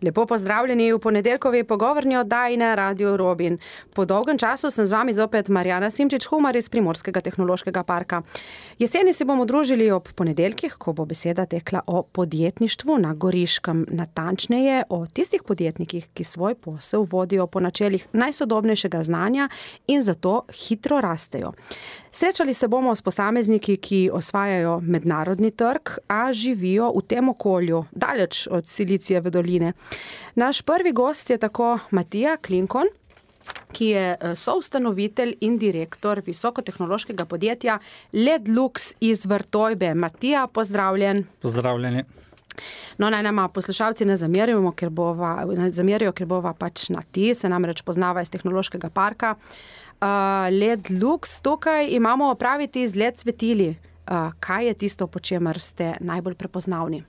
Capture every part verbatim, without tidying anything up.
Lepo pozdravljeni v ponedeljkovi pogovorni oddaji na Radio Robin. Po dolgem času sem z vami zopet Marjana Simčič-Humar iz Primorskega tehnološkega parka. Jeseni se bomo družili ob ponedeljkih, ko bo beseda tekla o podjetništvu na Goriškem, natančneje o tistih podjetnikih, ki svoj posel vodijo po načelih najsodobnejšega znanja in zato hitro rastejo. Srečali se bomo s posamezniki, ki osvajajo mednarodni trg, a živijo v tem okolju, daleč od Silicijeve doline. Naš prvi gost je tako Matija Klinkon, ki je soustanovitelj in direktor visokotehnološkega podjetja Ledlux iz Vrtojbe. Matija, pozdravljen. Pozdravljeni. No, naj nama poslušalci ne zamerijo, ker bova, ne zamerijo, ker bova pač na ti, se namreč poznava iz tehnološkega parka. Uh, Ledlux, tukaj imamo opraviti z Led svetili. Uh, kaj je tisto, po čemer ste najbolj prepoznavni?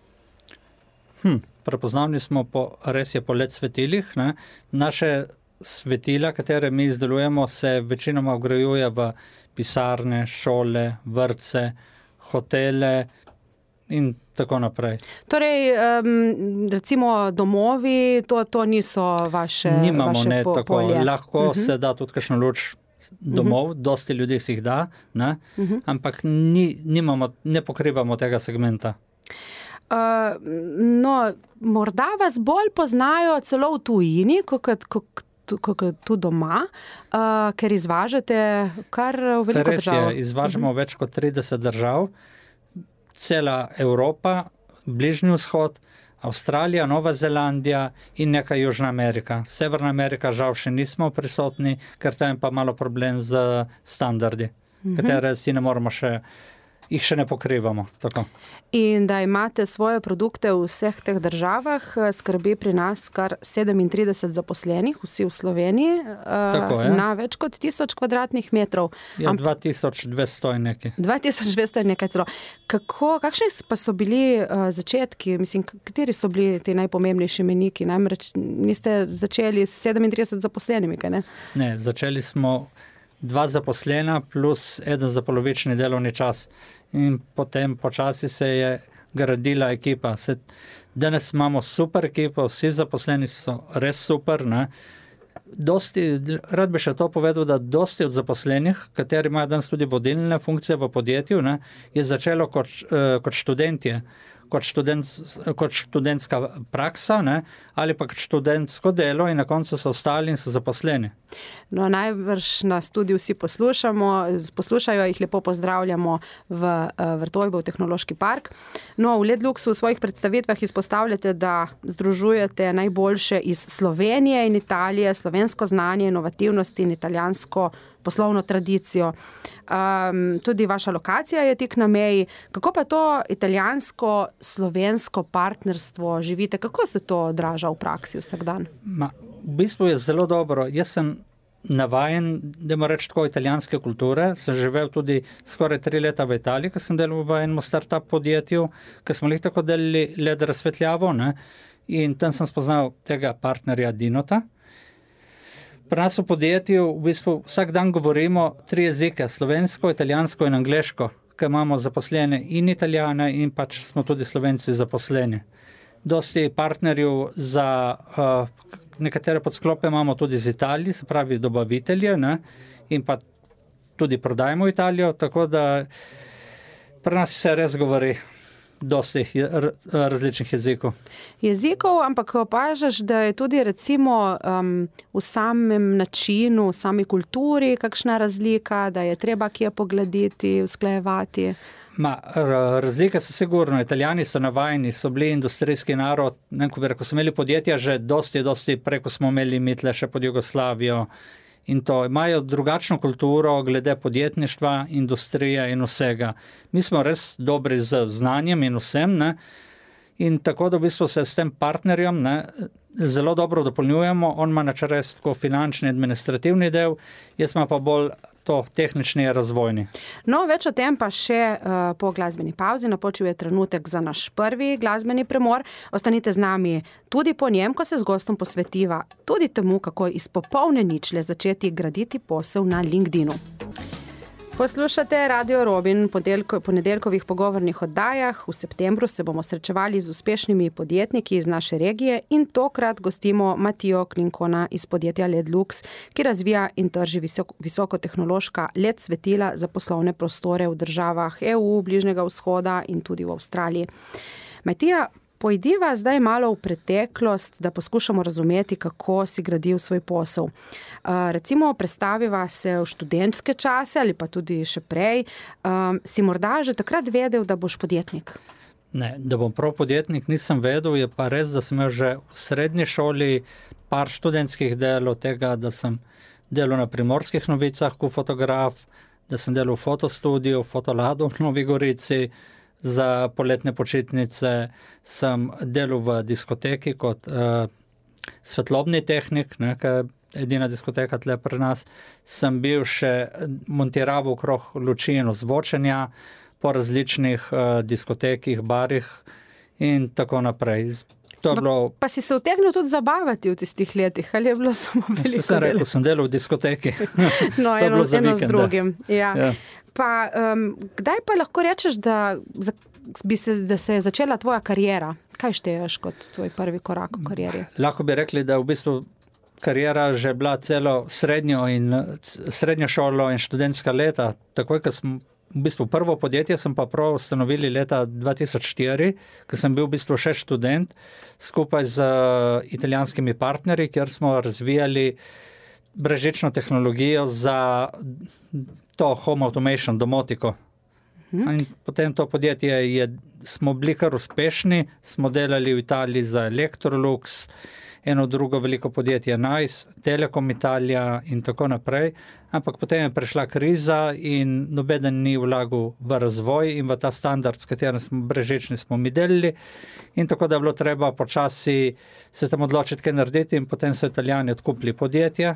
Hm, prepoznavni smo po, res je po Led svetilih. Ne? Naše svetila, katere mi izdelujemo, se večinoma vgrajuje v pisarne, šole, vrtce, hotele in tako naprej. Torej, um, recimo domovi, to, to niso vaše, Nimamo, vaše ne, po, tako. polje. Lahko uh-huh. se da tudi kakšno luč domov, uh-huh. dosti ljudi si jih da, ne? Uh-huh. ampak ni, nimamo, ne pokrivamo tega segmenta. Uh, no, morda vas bolj poznajo celo v tujini, kot, kot, kot tu doma, uh, ker izvažate kar v veliko Res držav. Je, izvažamo uh-huh. več kot trideset držav, cela Evropa, Bližnji vzhod, Avstralija, Nova Zelandija in nekaj Južna Amerika. Severna Amerika žal še nismo prisotni, ker tam je pa malo problem z standardi, uh-huh. katere si ne moramo še, jih še ne pokrivamo. Tako. In da imate svoje produkte v vseh teh državah, skrbi pri nas kar sedemintrideset zaposlenih, vsi v Sloveniji, Tako, ja. na več kot tisoč kvadratnih metrov. Ja, Am... dva tisoč dvesto in nekaj. dva tisoč dvesto in nekaj celo. Kako, kakšni pa so bili uh, začetki? Mislim, kateri so bili ti najpomembnejši meniki? Namreč niste začeli s sedemintrideset zaposlenimi, kaj ne? Ne, začeli smo dva zaposlena plus eden za polovični delovni čas. In potem počasi se je gradila ekipa. Se, danes imamo super ekipo, vsi zaposleni so res super. Ne? Dosti, rad bi še to povedal, da dosti od zaposlenih, kateri imajo danes tudi vodilne funkcije v podjetju, ne, je začelo kot, kot študentje, kot, študent, kot študentska praksa, ne, ali pa kot študentsko delo in na koncu so ostali in so zaposleni. No, najbrž nas tudi vsi poslušamo, poslušajo, jih lepo pozdravljamo v Vrtojbo, v tehnološki park. No, v Ledluxu v svojih predstavitvah izpostavljate, da združujete najboljše iz Slovenije in Italije, slovensko znanje, inovativnost in italijansko poslovno tradicijo. Um, tudi vaša lokacija je tik na meji. Kako pa to italijansko-slovensko partnerstvo živite? Kako se to odraža v praksi vsak dan? Ma, v bistvu je zelo dobro. Jaz sem navajen, da moram reči tako, italijanske kulture. Sem živel tudi skoraj tri leta v Italiji, ko sem delal v enem startup podjetju, ko smo jih tako delali led razsvetljavo, ne? In tam sem spoznal tega partnerja Dinota. Pri nas v podjetju v bistvu vsak dan govorimo tri jezike, slovensko, italijansko in angleško, ker imamo zaposlene in Italijane in pač smo tudi Slovenci zaposleni. Dosti partnerjev za uh, nekatere podsklope imamo tudi z Italije, se pravi dobavitelje, ne, in pa tudi prodajemo Italijo, tako da pri nas se res govori dosti različnih jezikov. Jezikov, ampak opažaš, da je tudi recimo um, v samem načinu, v sami kulturi kakšna razlika, da je treba kje pogledati, usklajevati? Ma, razlike so sigurno. Italijani so navajeni, so bili industrijski narod, ne, ko, bi rekel, so imeli podjetja že dosti, dosti preko smo imeli mitle še pod Jugoslavijo in to. Imajo drugačno kulturo glede podjetništva, industrije in vsega. Mi smo res dobri z znanjem in vsem, ne, in tako da v bistvu se s tem partnerjem, ne, zelo dobro dopolnjujemo. On ima na čres tako finančni, administrativni del, jaz ima pa bolj to tehnični razvojni. No, več o tem pa še uh, po glasbeni pauzi. Napočil je trenutek za naš prvi glasbeni premor. Ostanite z nami tudi po njem, ko se z gostom posvetiva tudi temu, kako iz popolne ničle začeti graditi posel na LinkedInu. Poslušate Radio Robin v ponedeljkovih pogovornih oddajah. V septembru se bomo srečevali z uspešnimi podjetniki iz naše regije in tokrat gostimo Matijo Klinkona iz podjetja L E D Lux, ki razvija in trži visoko, visokotehnološka L E D svetila za poslovne prostore v državah E U, Bližnjega vzhoda in tudi v Avstraliji. Matija, pojdiva zdaj malo v preteklost, da poskušamo razumeti, kako si gradil svoj posel. Recimo, predstaviva se v študentske čase ali pa tudi še prej. Si morda že takrat vedel, da boš podjetnik? Ne, da bom prav podjetnik, nisem vedel. Je pa res, da sem imel že v srednji šoli par študentskih delov tega, da sem delal na Primorskih novicah kot fotograf, da sem delal v fotostudiju, v Fotoladu v Novi Gorici. Za poletne počitnice sem delal v diskoteki kot uh, svetlobni tehnik, ne, ki je edina diskoteka tle pri nas. Sem bil še montiral okrog luči in ozvočenja po različnih uh, diskotekih, barih in tako naprej. To je bilo... Pa si se utegnil tudi zabavati v tistih letih, ali je bilo samo veliko? Se sem rekel, sem delal v diskoteki. No, eno, eno z drugim. Ja. Ja. Pa, um, kdaj pa lahko rečeš, da, za, bi se, da se je začela tvoja karijera? Kaj šteješ kot tvoj prvi korak v karieri? Lahko bi rekli, da v bistvu karijera že bila celo srednjo, in, srednjo šolo in študentska leta. Takoj, ko sem v bistvu prvo podjetje sem pa prav ustanovili leta dva tisoč štiri, ko sem bil v bistvu še študent, skupaj z italijanskimi partnerji, kjer smo razvijali brezžično tehnologijo za to home automation, domotiko. Hmm. In potem to podjetje je, smo bili kar uspešni, smo delali v Italiji za Electrolux, eno drugo veliko podjetje Nice, Telekom Italija in tako naprej, ampak potem je prišla kriza in nobeden ni vlagal v razvoj in v ta standard, s katerim smo brezžični smo mi delili, in tako da je bilo treba počasi se tam odločiti, kaj narediti, in potem so Italijani odkupili podjetje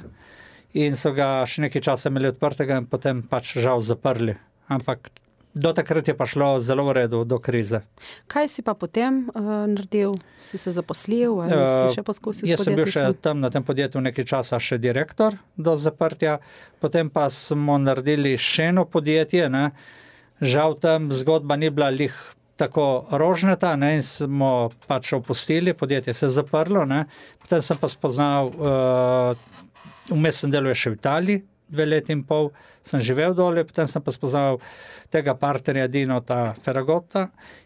in so ga še nekaj časa imeli odprtega in potem pač žal zaprli. Ampak do takrat je pa šlo zelo v redu, do krize. Kaj si pa potem uh, naredil? Si se zaposlil ali uh, si še poskusil s podjetništvom? Jaz sem bil še tam na tem podjetju nekaj časa še direktor do zaprtja, potem pa smo naredili še eno podjetje, ne. Žal tam zgodba ni bila lih tako rožnata, ne, in smo pač opustili, podjetje se je zaprlo, ne. Potem sem pa spoznal, uh, vmes sem delal še v Italiji, dve leti in pol sem živel dole, potem sem pa spoznal tega partnerja Dinota Ferragotta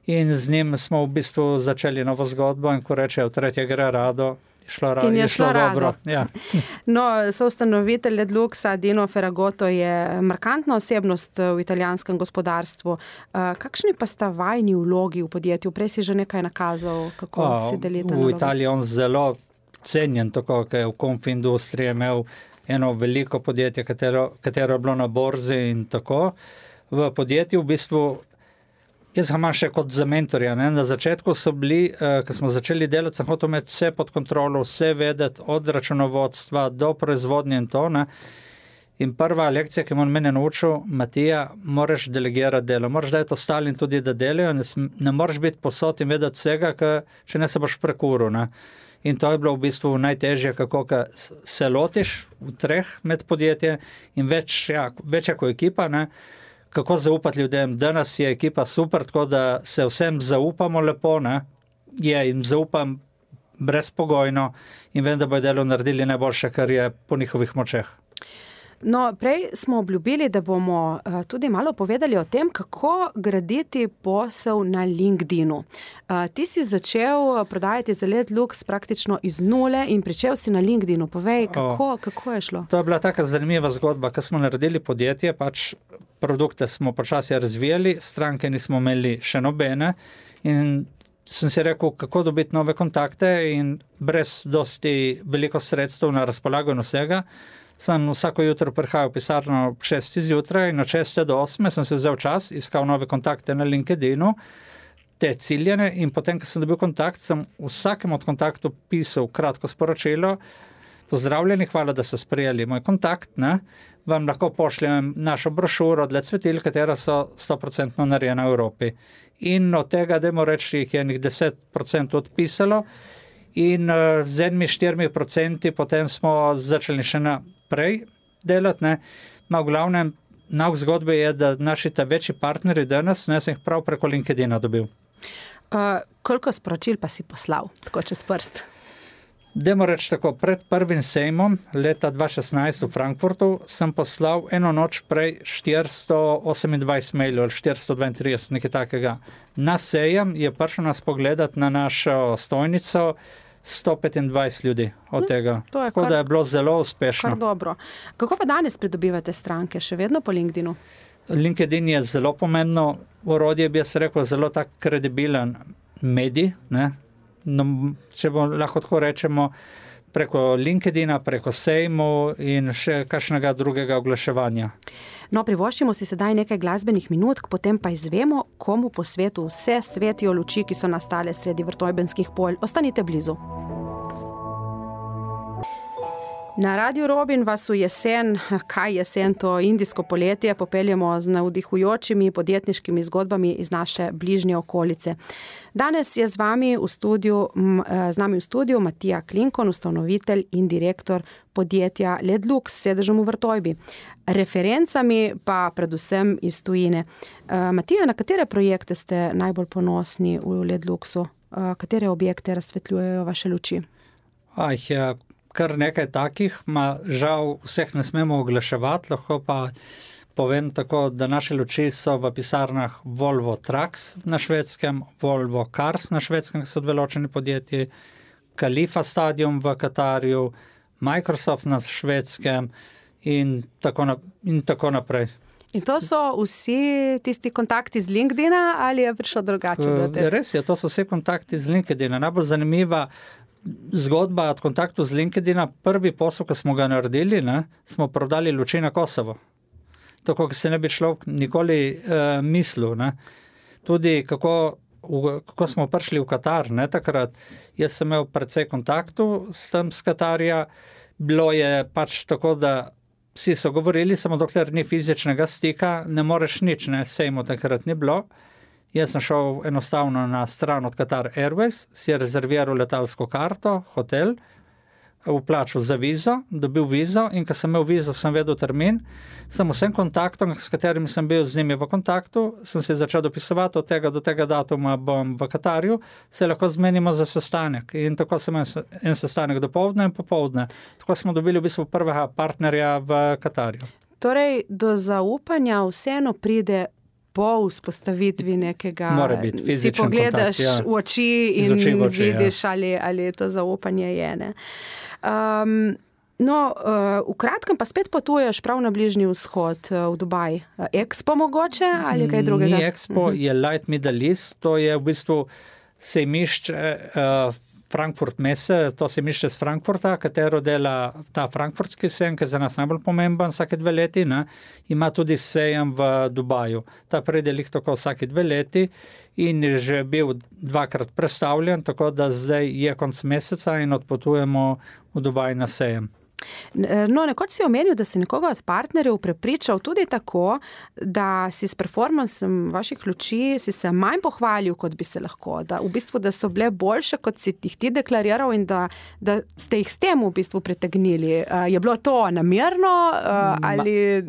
in z njim smo v bistvu začeli novo zgodbo, in ko rečejo tretje gre rado, je šlo, ra- je je šlo šlo dobro. Ja. No, soustanovitelj L E D Luxa Dino Ferragotto je markantna osebnost v italijanskem gospodarstvu. Kakšni pa sta vajni vlogi v podjetju? Prej si že nekaj nakazal, kako o, si delite naloge. V Italiji on zelo cenjen, tako, ker je v konfindustriji imel eno veliko podjetje, katero, katero je bilo na borzi in tako. V podjetju v bistvu, jaz ga imam še kot za mentorja, ne? Na začetku so bili, eh, ko smo začeli delati, sem hotel imeti vse pod kontrolo, vse vedeti, od računovodstva do proizvodnje in to, ne? In prva lekcija, ki me on mene naučil, Matija, moraš delegirati delo, moraš dati ostalim tudi, da delajo, ne, ne moraš biti posod in vedeti vsega, če ne se boš prekuril, ne? In to je bilo v bistvu najtežje, kako se lotiš v treh med podjetje in več, ja, več jako ekipa, ne? Kako zaupati ljudem. Danes je ekipa super, tako da se vsem zaupamo lepo, ne? Je, in zaupam brezpogojno in vem, da bojo delo naredili najboljše, kar je po njihovih močeh. No, prej smo obljubili, da bomo uh, tudi malo povedali o tem, kako graditi posel na LinkedInu. Uh, ti si začel prodajati za L E D Lux praktično iz nule in pričel si na LinkedInu. Povej, kako, kako je šlo? To je bila taka zanimiva zgodba, ko smo naredili podjetje, pač produkte smo počasi razvijali, stranke nismo imeli še nobene in sem si rekel, kako dobiti nove kontakte, in brez dosti veliko sredstev na razpolago in vsega. Sem vsako jutro prihajal v pisarno ob šestih zjutraj in od šeste do osme sem se vzel čas, iskal nove kontakte na LinkedInu, te ciljene, in potem, ko sem dobil kontakt, sem vsakem od kontaktov pisal kratko sporočilo: pozdravljeni, hvala, da ste sprejeli moj kontakt, ne? Vam lahko pošljem našo brošuro od L E D svetil, katera so sto procentno narejena v Evropi. In od tega, dajmo reči, jih je enih deset procentov odpisalo, in uh, z enimi štirimi procenti potem smo začeli še naprej delati, ne. Ma v glavnem nauk zgodbe je, da naši ta večji partneri danes, ne, sem jih prav preko LinkedIna dobil. Uh, koliko sporočil pa si poslal, tako čez prst? Dajmo reči tako, pred prvim sejmom leta dva tisoč šestnajst v Frankfurtu sem poslal eno noč prej štiristo osemindvajset mailov ali štiristo dvaintrideset, nekaj takega. Na sejem je prišel nas pogledati na našo stojnico sto petindvajset ljudi od tega. Hm, tako kar, da je bilo zelo uspešno. Kar dobro. Kako pa danes pridobivate stranke? Še vedno po LinkedInu? LinkedIn je zelo pomembno orodje, bi jaz rekel, zelo tak kredibilen medij, ne? No, če bo lahko tako rečemo, preko LinkedIna, preko sejmu in še kakšnega drugega oglaševanja. No, privoščimo si sedaj nekaj glasbenih minutk, potem pa izvemo, komu po svetu vse svetijo luči, ki so nastale sredi vrtojbenskih polj. Ostanite blizu. Na Radiu Robin vas v jesen, kaj jesen, to indijsko poletje, popeljemo z navdihujočimi podjetniškimi zgodbami iz naše bližnje okolice. Danes je z vami v studiu, z nami v studiu Matija Klinkon, ustanovitelj in direktor podjetja Ledlux s sedežem v Vrtojbi. Referencami pa predvsem iz tujine. Matija, na katere projekte ste najbolj ponosni v Ledluxu? Katere objekte razsvetljujejo vaše luči? Aj, ja. Kar nekaj takih, ma žal vseh ne smemo oglaševati, lahko pa povem tako, da naše luči so v pisarnah Volvo Trucks na švedskem, Volvo Cars na švedskem, ki so dve ločeni podjetji, Khalifa Stadium v Katarju, Microsoft na švedskem in tako, na, in tako naprej. In to so vsi tisti kontakti z LinkedIna ali je prišlo drugače do tega? Res je, to so vsi kontakti z LinkedIna. Najbolj zanimiva zgodba od kontaktu z LinkedIna, prvi posel, ko smo ga naredili, ne, smo prodali luči na Kosovo. Tako, ki se ne bi človek nikoli uh, mislil. Ne. Tudi kako, v, kako smo prišli v Katar, ne, takrat, jaz sem imel precej kontaktu s tem z Katarja, bilo je pač tako, da vsi so govorili, samo dokler ni fizičnega stika, ne moreš nič, ne, sejmo takrat ni bilo. Jaz sem šel enostavno na stran od Qatar Airways, si je rezerviral letalsko karto, hotel, vplačal za vizo, dobil vizo in ko sem imel vizo, sem vedel termin, sem vsem kontaktom, s katerimi sem bil z njimi v kontaktu, sem se začel dopisovati od tega do tega datuma bom v Katarju, se lahko zmenimo za sestanek in tako sem imel en sestanek dopoldne in popoldne. Tako smo dobili v bistvu prvega partnerja v Katarju. Torej, do zaupanja vseeno pride po vzpostavitvi nekega, si pogledaš kontakt, ja. v oči in oči v oči, vidiš, ja. ali, ali to zaupanje je. Ne? Um, no, uh, v kratkem pa spet potuješ prav na Bližnji vzhod, uh, v Dubaj. Expo mogoče ali kaj drugega? Ni Expo, uh-huh. je Light Middle East, to je v bistvu sejmišče uh, Frankfurt Messe, to sejmišče z Frankfurta, katero dela ta frankfurtski sejem, ki je za nas najbolj pomemben vsake dve leti, ne, ima tudi sejem v Dubaju. Ta predelik tako vsake dve leti in je že bil dvakrat predstavljen, tako da zdaj je konc meseca in odpotujemo v Dubaj na sejem. No, nekoč si omenil, da si nekoga od partnerjev prepričal tudi tako, da si s performansom vaših luči si se manj pohvalil, kot bi se lahko. Da v bistvu, da so bile boljše, kot si jih ti deklariral in da, da ste jih s tem v bistvu pritegnili. Je bilo to namerno ali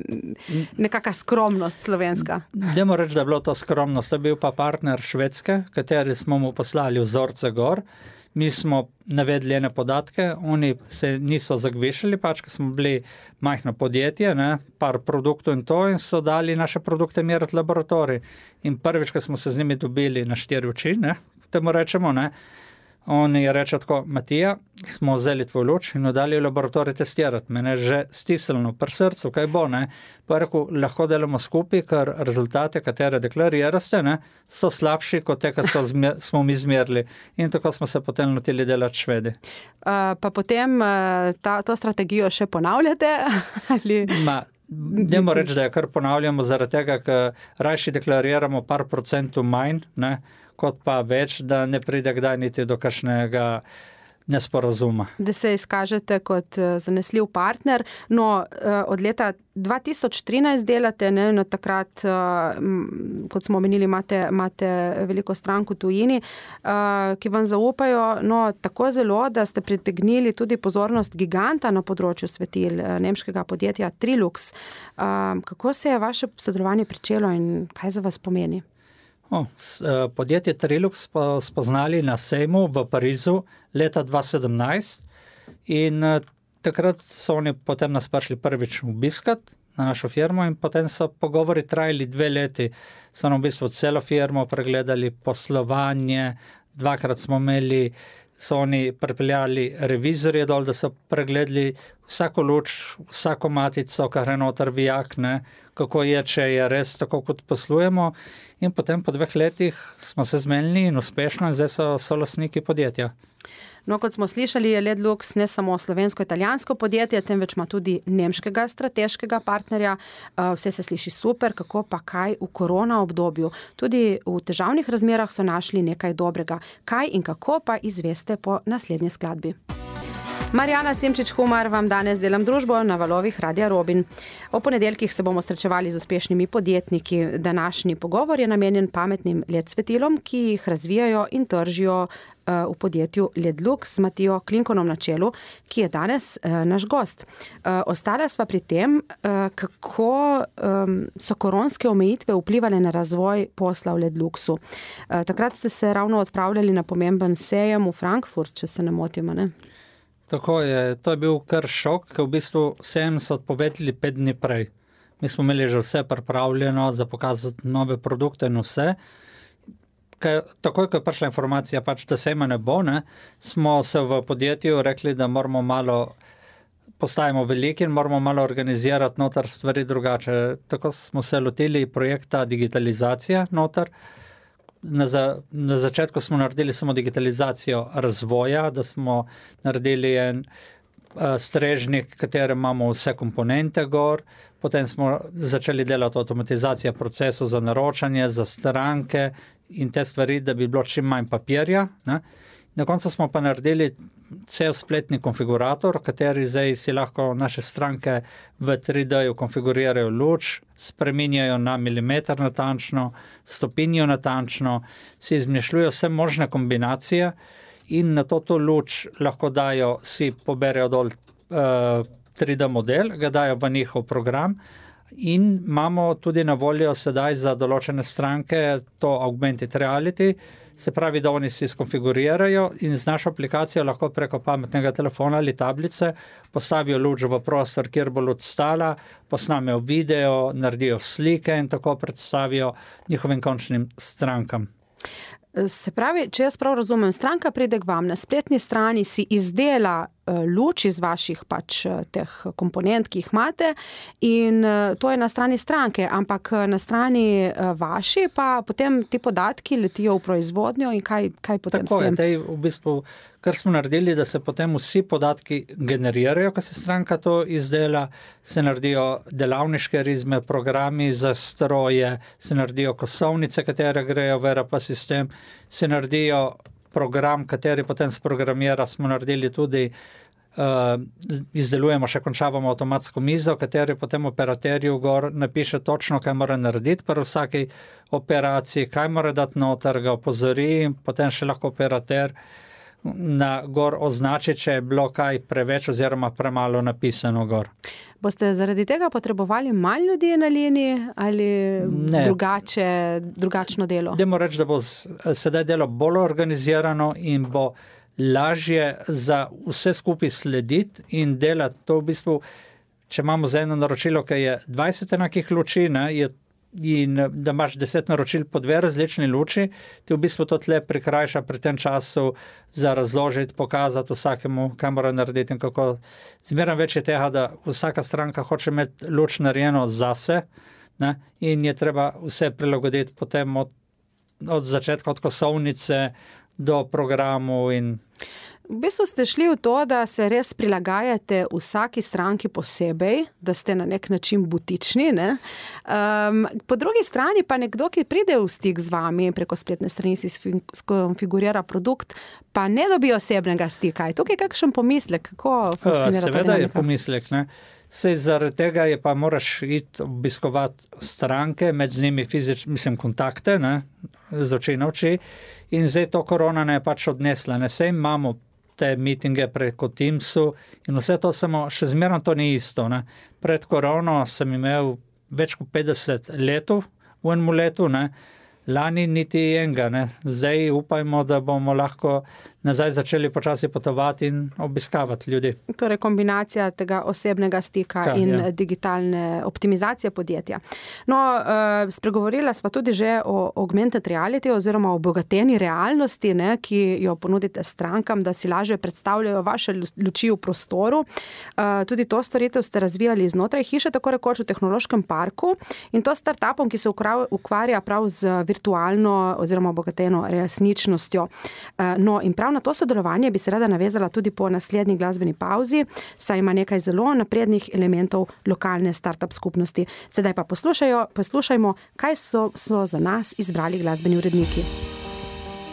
nekaka skromnost slovenska? Dajmo reči, da je bilo to skromnost. To je bil pa partner Švedske, kateri smo mu poslali vzorce gor. Mi smo navedli ene podatke, oni se niso zagvešali, pač, ker smo bili majhno podjetje, ne, par produktov in to, in so dali naše produkte meriti laboratorij. In prvič, ko smo se z njimi dobili na štiri oči, ne, temu rečemo, ne, on je reče tako, Matija, smo vzeli tvoj luč in dali v laboratorij testirati. Mene že stisnilo pri srcu, kaj bo, ne. Pa rekel, lahko delamo skupaj, ker rezultate, katere deklariraste, ne, so slabši kot te, ki so zmer, smo mi zmerili. In tako smo se potem lotili delati Švedi. Uh, pa potem uh, ta, to strategijo še ponavljate? Ali... Ma, dajmo reči, da jo kar ponavljamo zaradi tega, ker rajši deklariramo par procentov manj, ne, kot pa več, da ne pride kdaj niti do kakšnega nesporazuma. Da se izkažete kot zanesljiv partner. No, od leta dva tisoč trinajst delate, ne, no takrat, kot smo omenili, imate, imate veliko strank v tujini, ki vam zaupajo, no, tako zelo, da ste pritegnili tudi pozornost giganta na področju svetil, nemškega podjetja Trilux. Kako se je vaše sodelovanje pričelo in kaj za vas pomeni? O, podjetje Trilux smo spoznali na sejmu v Parizu leta dva tisoč sedemnajst in takrat so oni potem nas prišli prvič obiskat na našo firmo in potem so pogovori trajali dve leti. So nam v bistvu celo firmo pregledali, poslovanje, dvakrat smo imeli, so oni pripeljali revizorje dol, da so pregledali vsako luč, vsako matico, kar je noter vijak, ne, kako je, če je res tako, kot poslujemo. In potem po dveh letih smo se zmenili in uspešno in zdaj so solastniki podjetja. No, kot smo slišali, je Ledlux ne samo slovensko-italijansko podjetje, temveč ima tudi nemškega strateškega partnerja. Vse se sliši super, kako pa kaj v korona obdobju. Tudi v težavnih razmerah so našli nekaj dobrega. Kaj in kako pa izveste po naslednji skladbi. Marjana Simčič-Humar vam danes delam družbo na valovih Radia Robin. O ponedeljkih se bomo srečevali z uspešnimi podjetniki. Današnji pogovor je namenjen pametnim L E D svetilom, ki jih razvijajo in tržijo v podjetju Ledlux z Matijo Klinkonom na čelu, ki je danes naš gost. Ostala sva pri tem, kako so koronske omejitve vplivale na razvoj posla v Ledluxu. Takrat ste se ravno odpravljali na pomemben sejem v Frankfurt, če se ne motimo, ne? Tako je, to je bil kar šok, ker v bistvu sejem so odpovedali pet dni prej. Mi smo imeli že vse pripravljeno za pokazati nove produkte in vse. Kaj, takoj, ko je prišla informacija, pač, da sejma ne bo, ne, smo se v podjetju rekli, da moramo malo, postajamo veliki in moramo malo organizirati noter stvari drugače. Tako smo se lotili projekta digitalizacija noter. Na, za, na začetku smo naredili samo digitalizacijo razvoja, da smo naredili en uh, strežnik, katerem imamo vse komponente gor, potem smo začeli delati avtomatizacijo procesov za naročanje, za stranke in te stvari, da bi bilo čim manj papirja, ne. Na koncu smo pa naredili cel spletni konfigurator, kateri zdaj si lahko naše stranke v tri D-ju konfigurirajo luč, spreminjajo na milimeter natančno, stopinjo natančno, si izmišljujo vse možne kombinacije in na to to luč lahko dajo, si poberejo dol uh, tri D model, ga dajo v njihov program in imamo tudi na voljo sedaj za določene stranke to augmented reality, se pravi, da oni si skonfigurirajo in z našo aplikacijo lahko preko pametnega telefona ali tablice postavijo luč v prostor, kjer bo luč stala, posnamejo video, naredijo slike in tako predstavijo njihovim končnim strankam. Se pravi, če jaz prav razumem, stranka pride k vam, na spletni strani si izdela luč iz vaših pač teh komponent, ki jih imate in to je na strani stranke, ampak na strani vaši pa potem ti podatki letijo v proizvodnjo in kaj, kaj potem tako s tem? Tako je, v bistvu, kar smo naredili, da se potem vsi podatki generirajo, ko se stranka to izdela, se naredijo delavniške rizme, programi za stroje, se naredijo kosovnice, katere grejo v R P sistem, se naredijo program, kateri potem sprogramira, smo naredili tudi, uh, izdelujemo, še končavamo avtomatsko mizo, kateri potem operaterju gor napiše točno, kaj mora narediti pri vsaki operaciji, kaj mora dati noter, ga opozori in potem še lahko operater na gor označi, če je bilo kaj preveč oziroma premalo napisano gor. Boste zaradi tega potrebovali manj ljudi na liniji ali drugače, drugačno delo? Dajmo reči, da bo sedaj delo bolj organizirano in bo lažje za vse skupaj slediti in delati. To v bistvu, če imamo za eno naročilo, ki je dvajset enakih luči, ne, je in da imaš deset naročil po dve različni luči, ti v bistvu to tle prikrajša pri tem času za razložiti, pokazati vsakemu, kaj mora narediti in kako. Zmeraj več je tega, da vsaka stranka hoče imeti luč narejeno zase, ne, in je treba vse prilagoditi potem od, od začetka, od kosovnice do programu in V bistvu ste šli v to, da se res prilagajate vsaki stranki posebej, da ste na nek način butični. Ne? Um, po drugi strani pa nekdo, ki pride v stik z vami preko spletne strani, si skonfigurira produkt, pa ne dobi osebnega stika. Je tukaj kakšen pomislek? Kako funkcionira ta dinamika? Seveda je pomislek, ne? Sej zaradi tega je pa moraš iti obiskovati stranke, med z njimi fizične, mislim, kontakte, ne, z oči na oči. In zdaj to korona ne je pač odnesla. Ne, sej imamo te meetinge preko Teamsu in vse to samo, še zmerno to ni isto. Ne. Pred korono sem imel več kot petdeset letov v enem letu, ne. Lani niti enega, ne. Zdaj upajmo, da bomo lahko nazaj začeli počasi potovati in obiskavati ljudi. Torej kombinacija tega osebnega stika Kaj, in ja. digitalne optimizacije podjetja. No, uh, spregovorila sva tudi že o augmented reality oziroma o obogateni realnosti, ne, ki jo ponudite strankam, da si lažje predstavljajo vaše luči v prostoru. Uh, tudi to storitev ste razvijali znotraj hiše, tako rekoč v tehnološkem parku in to startupom, ki se ukvarja prav z virtualno oziroma obogateno resničnostjo. Uh, no, in prav na to sodelovanje bi se rada navezala tudi po naslednji glasbeni pauzi, saj ima nekaj zelo naprednih elementov lokalne startup skupnosti. Sedaj pa poslušajmo, kaj so, so za nas izbrali glasbeni uredniki.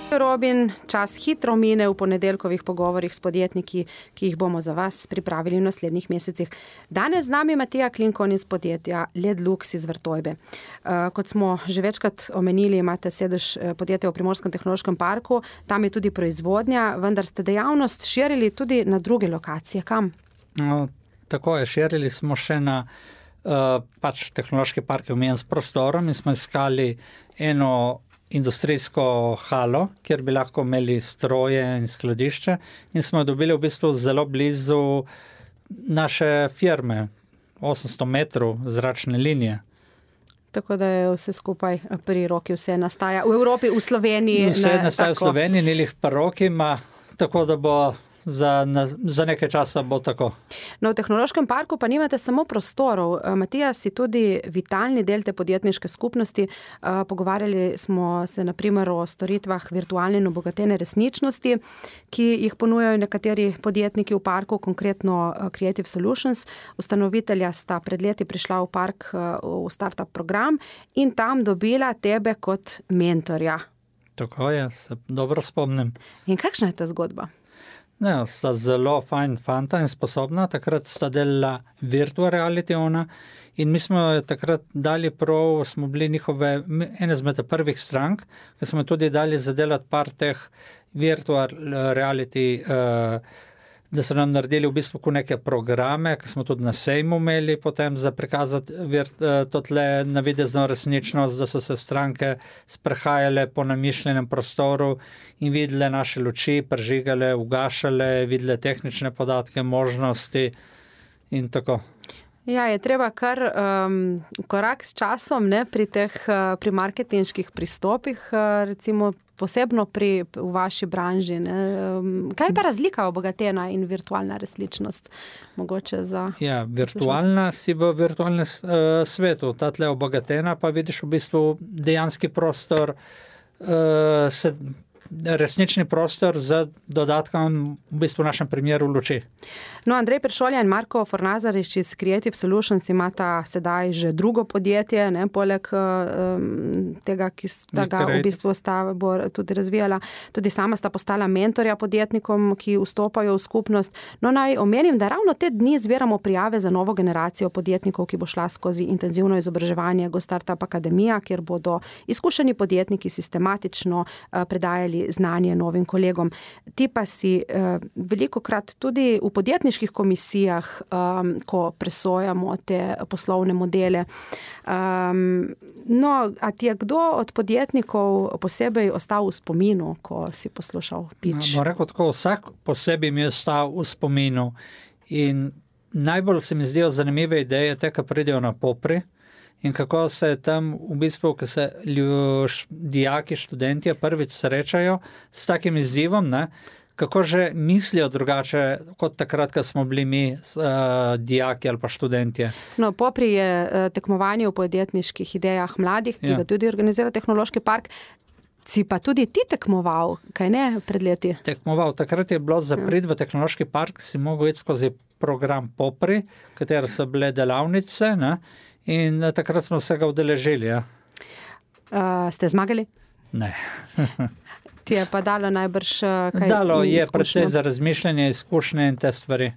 Robin, čas hitro mine v ponedeljkovih pogovorih s podjetniki, ki jih bomo za vas pripravili v naslednjih mesecih. Danes z nami Matija Klinkon iz podjetja Ledlux iz Vrtojbe. Uh, kot smo že večkrat omenili, imate sedež podjetja v Primorskem tehnološkem parku, tam je tudi proizvodnja, vendar ste dejavnost širili tudi na druge lokacije. Kam? No, tako je, širili smo še na uh, pač tehnološki park omejen s prostorom in smo iskali eno industrijsko halo, kjer bi lahko imeli stroje in skladišče in smo dobili v bistvu zelo blizu naše firme, osemsto metrov zračne linije. Tako da je vse skupaj pri roki, vse nastaja v Evropi, v Sloveniji. Vse ne, nastaja tako. v Sloveniji, ni lih pri roki, ima, tako da bo Za, na, za nekaj časa bo tako. No, v tehnološkem parku pa nimate samo prostorov. Matija, si tudi vitalni del te podjetniške skupnosti. Pogovarjali smo se na primer o storitvah virtualne in obogatene resničnosti, ki jih ponujajo nekateri podjetniki v parku, konkretno Creative Solutions. Ustanovitelja sta pred leti prišla v park v startup program in tam dobila tebe kot mentorja. Tako je, se dobro spomnim. In kakšna je ta zgodba? Ne, sta zelo fajn fanta in sposobna, takrat sta delala virtual reality ona in mi smo takrat dali prav, smo bili njihove ene zmed prvih strank, ki smo tudi dali zadelati par teh virtual reality, uh, da so nam naredili v bistvu neke programe, ki smo tudi na sejmu imeli potem za prikazati virt, uh, to tle navidezno resničnost, da so se stranke sprehajale po namišljenem prostoru in videle naše luči, prižigale, ugašale, videle tehnične podatke, možnosti in tako. Ja, je treba kar um, korak s časom, ne, pri teh, uh, pri marketinških pristopih, uh, recimo posebno pri v vaši branži. Ne. Um, kaj je pa razlika obogatena in virtualna resničnost? Mogoče za... Ja, virtualna si v virtualnem uh, svetu, ta tle obogatena pa vidiš v bistvu dejanski prostor, uh, se, resnični prostor z dodatkom v bistvu v našem primeru luči. No, Andrej Peršolja in Marko Fornazarič iz Creative Solutions imata sedaj že drugo podjetje, ne, poleg um, tega, ki sta ga v bistvu sta bo tudi razvijala. Tudi sama sta postala mentorja podjetnikom, ki vstopajo v skupnost. No, naj omenim, da ravno te dni zbiramo prijave za novo generacijo podjetnikov, ki bo šla skozi intenzivno izobraževanje Go Startup Akademija, kjer bodo izkušeni podjetniki sistematično uh, predajali znanje novim kolegom. Ti pa si uh, velikokrat tudi v podjetniških komisijah, um, ko presojamo te poslovne modele. Um, no, a ti je kdo od podjetnikov posebej ostal v spominu, ko si poslušal pitch? No, rekel tako, vsak posebej mi je ostal v spominu in najbolj se mi zdijo zanimive ideje te, ki pridejo na popri. In kako se tam v bistvu, ko se ljuš, dijaki, študentje prvič srečajo s takim izzivom, ne, kako že mislijo drugače kot takrat, ko smo bili mi uh, dijaki ali pa študentje. No, popri je uh, tekmovanje v podjetniških idejah mladih, ki ja. ga tudi organizira Tehnološki park. Si pa tudi ti tekmoval, kaj ne, pred leti? Tekmoval, takrat je bilo za prid v tehnološki park, si mogel iti skozi program Popri, katero so bile delavnice, ne? In takrat smo se ga udeležili. Ja. Uh, ste zmagali? Ne. Ti je pa dalo najbrž kaj Dalo je izkušnjo? predvsej za razmišljanje, izkušnje in te stvari.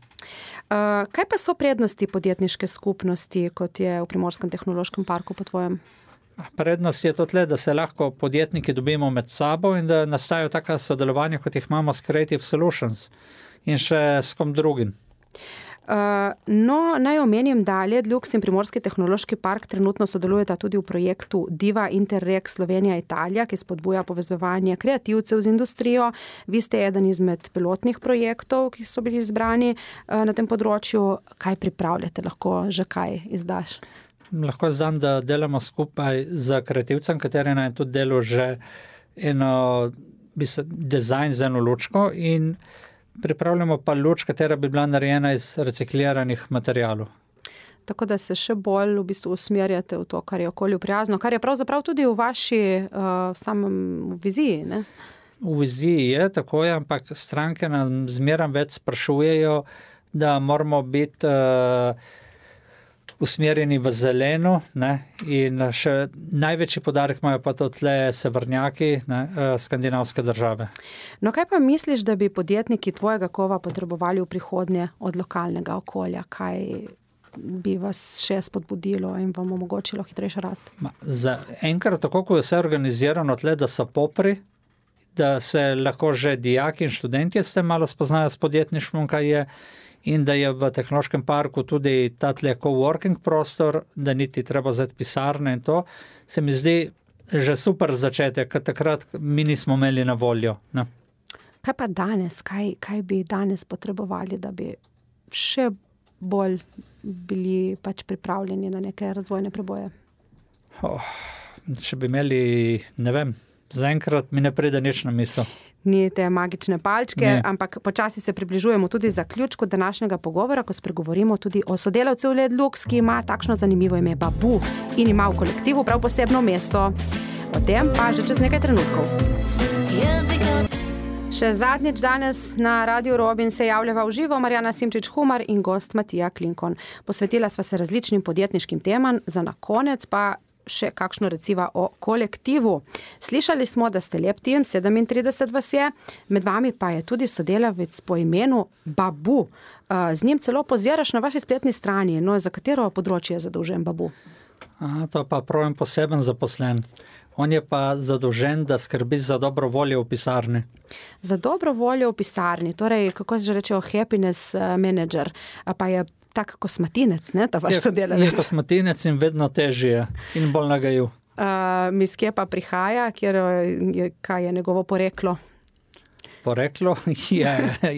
Uh, kaj pa so prednosti podjetniške skupnosti, kot je v Primorskem tehnološkem parku po tvojem? Prednost je to tle, da se lahko podjetniki dobimo med sabo in da nastajajo taka sodelovanja, kot jih imamo s Creative Solutions in še s kom drugim. Uh, no, naj omenim, da Ledlux in Primorski tehnološki park trenutno sodelujeta tudi v projektu Diva Interreg Slovenija-Italija, ki spodbuja povezovanje kreativcev z industrijo. Vi ste eden izmed pilotnih projektov, ki so bili izbrani uh, na tem področju. Kaj pripravljate? Lahko že kaj izdaš? Lahko znam, da delamo skupaj z kreativcem, kateri naj tudi delo že eno dizajn za eno lučko in pripravljamo pa luč, katera bi bila narejena iz recikliranih materialov. Tako da se še bolj v bistvu usmerjate v to, kar je okolju prijazno, kar je pravzaprav tudi v vaši uh, samem v viziji, ne? V viziji je, tako je, ampak stranke nam zmeraj več sprašujejo, da moramo biti uh, usmerjeni v zeleno, ne? In še največji podarek imajo pa to tle severnjaki, ne? Skandinavske države. No, kaj pa misliš, da bi podjetniki tvojega kova potrebovali v prihodnje od lokalnega okolja? Kaj bi vas še spodbudilo in vam omogočilo hitrejšo rast? Ma, za enkrat, tako ko je vse organizirano tle, da so Popri, da se lahko že dijaki in študentje s tem malo spoznajo s podjetništvom, kaj je, in da je v tehnološkem parku tudi ta tle coworking prostor, da niti treba zdaj pisarne in to, se mi zdi že super začetek, ker takrat mi nismo imeli na voljo. Ne? Kaj pa danes? Kaj, kaj bi danes potrebovali, da bi še bolj bili pač pripravljeni na neke razvojne preboje? Oh, če bi imeli, ne vem, zaenkrat mi ne pride nič na misel. Ni te magične palčke, ne. Ampak počasi se približujemo tudi zaključku današnjega pogovora, ko spregovorimo tudi o sodelavcu Ledlux, ki ima takšno zanimivo ime Babu in ima v kolektivu prav posebno mesto. O tem pa že čez nekaj trenutkov. Še zadnjič danes na Radio Robin se javljava v živo Marjana Simčič-Humar in gost Matija Klinkon. Posvetila sva se različnim podjetniškim temam, za na konec pa še kakšno reciva o kolektivu. Slišali smo, da ste lep tim, sedemintrideset vas je, med vami pa je tudi sodelavec po imenu Babu. Z njim celo poziraš na vaši spletni strani, no za katero področje je zadolžen Babu? A, to pa pravim poseben zaposlen. On je pa zadolžen, da skrbi za dobro voljo v pisarni. Za dobro voljo v pisarni, torej, kako se že rečejo, happiness manager, pa je tak kosmatinec, ne, ta vaš sodelavec? Je kosmatinec in vedno težje in bolj nagajiv. Uh, mis kje pa prihaja, kjer je, kaj je njegovo poreklo? Poreklo je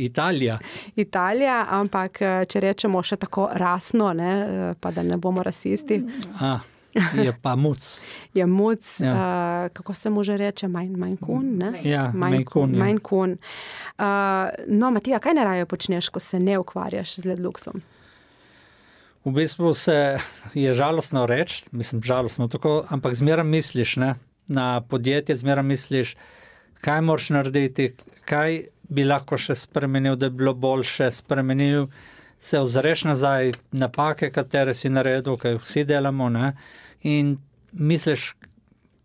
Italija. Italija, ampak če rečemo še tako rasno, ne, pa da ne bomo rasisti. A, je pa muc. Je muc, ja. uh, kako se mu že reče, Maine Coon, ne? Ja, Maine Coon. Maine Coon. Uh, no, Matija, kaj najraje počneš, ko se ne ukvarjaš z Ledluxom? V bistvu se je žalostno reči, mislim žalostno tako, ampak zmeraj misliš, ne, na podjetje, zmeraj misliš, kaj moraš narediti, kaj bi lahko še spremenil, da bi bilo boljše, spremenil, se ozreš nazaj, napake, katere si naredil, kaj vsi delamo, ne, in misliš,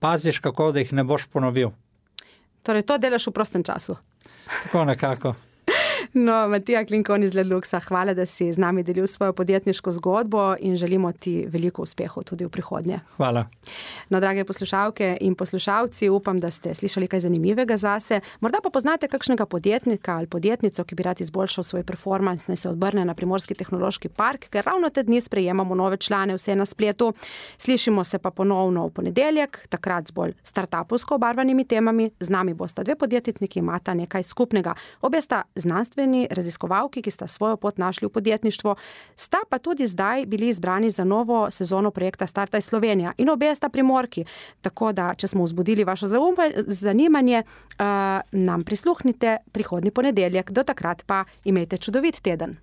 paziš, kako da jih ne boš ponovil. Torej, to delaš v prostem času? Tako nekako. No, Matija Klinkon iz Ledluxa, hvala, da si z nami delil svojo podjetniško zgodbo in želimo ti veliko uspehov tudi v prihodnje. Hvala. No, drage poslušalke in poslušalci, upam, da ste slišali kaj zanimivega zase. Morda pa poznate kakšnega podjetnika ali podjetnico, ki bi rad izboljšal svoj performans, naj se odbrne na Primorski tehnološki park, ker ravno te dni sprejemamo nove člane, vse na spletu. Slišimo se pa ponovno v ponedeljek, takrat z bolj startupovsko obarvanimi temami. Z nami bosta dve podjetnici, ki imata nekaj skupnega. Obe sta znanstveni raziskovalki, ki sta svojo pot našli v podjetništvo, sta pa tudi zdaj bili izbrani za novo sezono projekta Startaj Slovenija in obe sta Primorki. Tako da, če smo vzbudili vaše zanimanje, uh, nam prisluhnite prihodnji ponedeljek. Do takrat pa imejte čudovit teden.